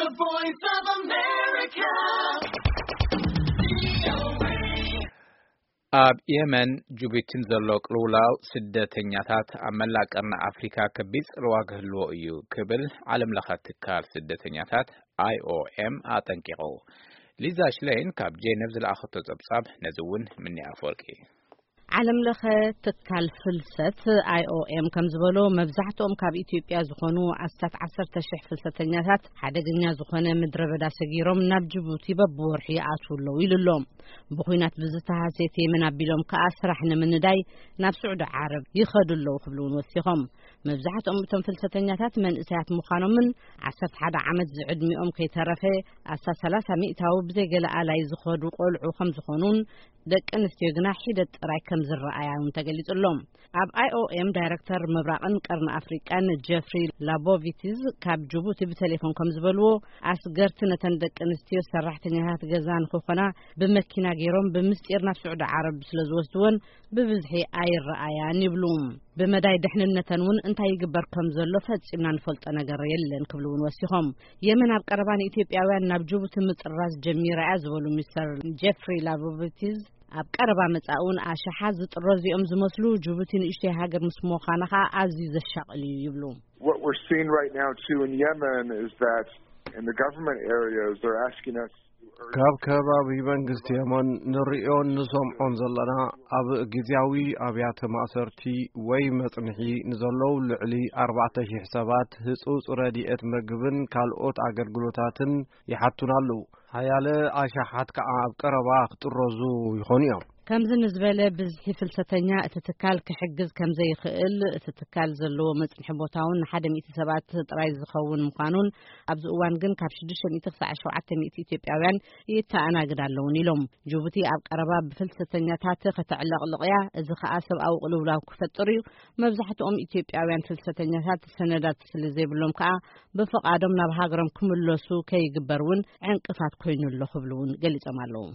The Voice of America. ኣብ የመን ጁቡቲን ዘሎ ቅልውላው ስደተኛታት ኣብ መላእ ቀርኒ ኣፍሪካ ከቢድ ጽልዋ ክህልዎ እዩ ክብል ዓለም ለኸ ትካል ስደተኛታት ኣይ ኦ ኤም ኣጠንቂቑ። ሊዛ ሽሌን ካብ ጄነቭ ዝለኣኸቶ ጸብጻብ ነዚ እውን ምኒ ኣፈወርቂ። ዓለም ለኸ ትካል ፍልሰት ኣይ ኦ ኤም ከም ዝበሎ፣ መብዛሕትኦም ካብ ኢትዮጵያ ዝኾኑ ኣስታት ዓሰርተ ሽሕ ፍልሰተኛታት ሓደገኛ ዝኾነ ምድረ በዳ ሰጊሮም ናብ ጅቡቲ በብወርሒ ይኣትዉ ኣለዉ ኢሉ ኣሎ። ብኹናት ብዝተሃሰየት የመን ኣቢሎም ከኣ ስራሕ ንምንዳይ ናብ ስዑዲ ዓረብ ይኸዱ ኣለዉ ክብሉ እውን ወሲኾም። መብዛሕትኦም እቶም ፍልሰተኛታት መንእሰያት ምዃኖምን ዓሰርተ ሓደ ዓመት ዝዕድሚኦም ከይተረፈ ኣስታት ሰላሳ ሚእታዊ ብዘይ ገለ ኣላይ ዝኸዱ ቆልዑ ከም ዝኾኑን ደቂ ኣንስትዮ ግና ሒደት ጥራይ ከም ዝረኣያ እውን ተገሊጹ ኣሎ። ኣብ ኣይ ኦ ኤም ዳይረክተር ምብራቕን ቀርኒ ኣፍሪቃን ጀፍሪ ላቦቪቲዝ ካብ ጅቡቲ ብቴሌፎን ከም ዝበልዎ፣ ኣስገርቲ ነተን ደቂ ኣንስትዮ ሰራሕተኛታት ገዛ ንክኾና ብመኪና ገይሮም ብምስጢር ናብ ስዑዲ ዓረብ ስለ ዝወስድወን ብብዝሒ ኣይረኣያን ይብሉ። ብመዳይ ድሕንነተን እውን እንታይ ይግበር ከም ዘሎ ፈጺምና ንፈልጦ ነገር የለን ክብሉ እውን ወሲኾም። የመን ኣብ ቀረባ ንኢትዮጵያውያን ናብ ጅቡቲ ምጥራዝ ጀሚራ እያ ዝበሉ ሚስተር ጀፍሪ ላቦቪቲዝ፣ ኣብ ቀረባ መጻኢ እውን ኣሽሓት ዝጥረዙ እዮም ዝመስሉ። ጅቡቲ ንእሽተይ ሃገር ምስ ምዃና ኸኣ ኣዝዩ ዘሻቕል እዩ ይብሉ። What we're seeing right now too in Yemen is that, in the government areas, they're asking us to urge ካብ ከባቢ መንግስቲ የመን ንርእዮን ንሰምዖን ዘለና፣ ኣብ ግዜያዊ ኣብያተ ማእሰርቲ ወይ መጽንሒ ንዘለዉ ልዕሊ ኣርባዕተ ሽሕ ሰባት ህጹጽ ረድኤት ምግብን ካልኦት ኣገልግሎታትን ይሓቱና ኣለዉ። ሓያለ ኣሽሓት ከኣ ኣብ ቀረባ ክጥረዙ ይኾኑ እዮም። ከምዚ ንዝበለ ብዝሒ ፍልሰተኛ እቲ ትካል ክሕግዝ ከም ዘይኽእል፣ እቲ ትካል ዘለዎ መጽንሒ ቦታ እውን ንሓደ ሚእቲ ሰባት ጥራይ ዝኸውን ምዃኑን፣ ኣብዚ እዋን ግን ካብ ሽዱሽተ ሚእቲ ክሳዕ ሸውዓተ ሚእቲ ኢትዮጵያውያን ይተኣናግድ ኣለውን ኢሎም። ጅቡቲ ኣብ ቀረባ ብፍልሰተኛታት ከተዕለቕልቕ እያ። እዚ ኸኣ ሰብኣዊ ቅልውላው ክፈጥር እዩ። መብዛሕትኦም ኢትዮጵያውያን ፍልሰተኛታት ሰነዳት ስለ ዘይብሎም ከኣ ብፍቓዶም ናብ ሃገሮም ክምለሱ ከይግበር እውን ዕንቅፋት ኮይኑ ኣሎ ክብሉ እውን ገሊጾም ኣለዉ።